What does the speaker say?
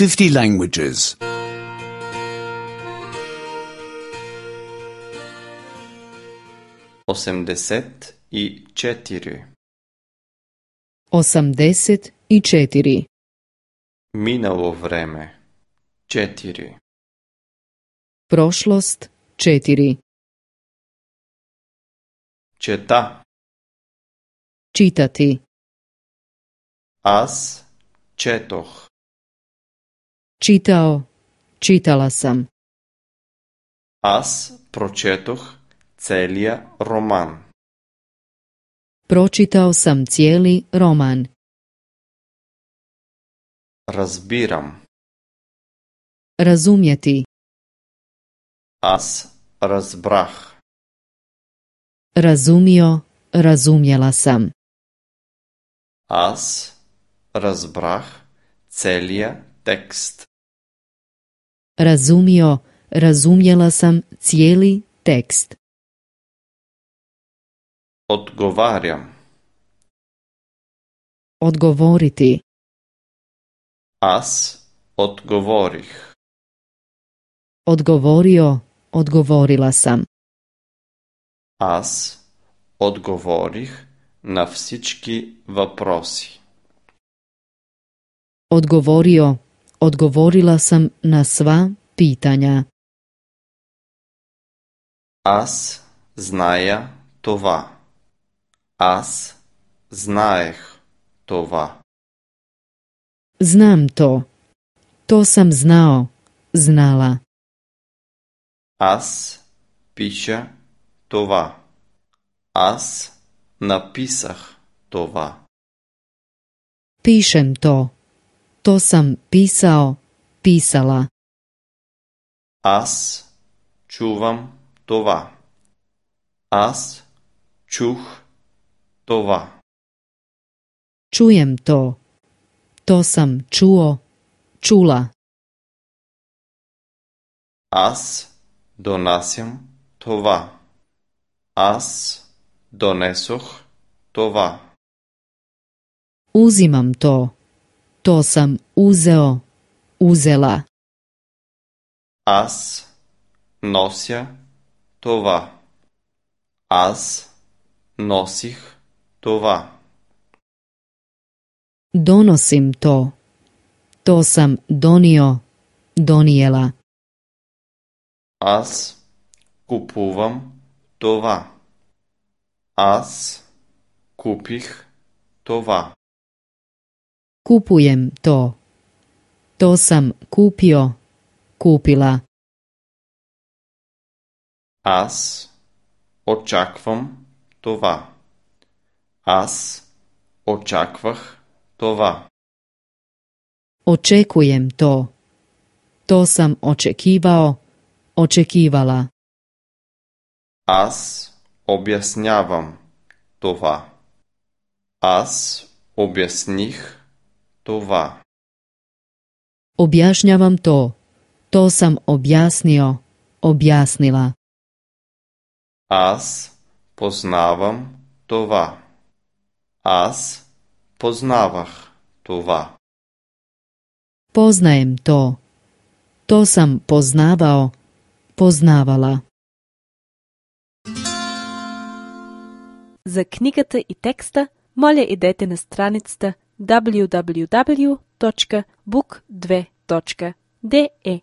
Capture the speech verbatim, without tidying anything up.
fifty languages. Osemdeset i četiri. Osamdeset i četiri. Minalo vreme. Četiri. Prošlost četiri. Četa. Čitati. Аз четох. Čitao, čitala sam. Аз прочетох целия роман. Pročitao sam cijeli roman. Разбирам. Razumjeti. Аз разбрах. Razumio, razumjela sam. Аз разбрах целия текст. Razumio, razumjela sam cijeli tekst. Odgovarjam. Odgovoriti. Аз odgovorih. Odgovorio, odgovorila sam. Аз отговорих на всички въпроси. Odgovorio, odgovorila sam na sva pitanja. Аз зная това. Аз знаех това. Znam to. To sam znao, znala. Аз пиша това. Аз написах това. Pišem to. To sam pisao, pisala. Аз чувам това. Аз чух това. Čujem to. To sam čuo, čula. Аз донасям това. Аз донесох това. Uzimam to. To sam uzeo, uzela. Аз нося това. Аз носих това. Donosim to. To sam donio, donijela. Аз купувам това. Аз купих това. Kupujem to. To sam kupio, kupila. Аз очаквам това. Аз очаквах това. Očekujem to. To sam očekivao, očekivala. Аз обяснявам това. Аз обясних това. Objašnjavam to. To sam objasnio, objasnila. Аз познавам това. Аз познавах това. Poznajem to. To sam poznavao, poznavala. За книгата и текста, моля идете на страницата даблю даблю даблю точка бук две точка де е.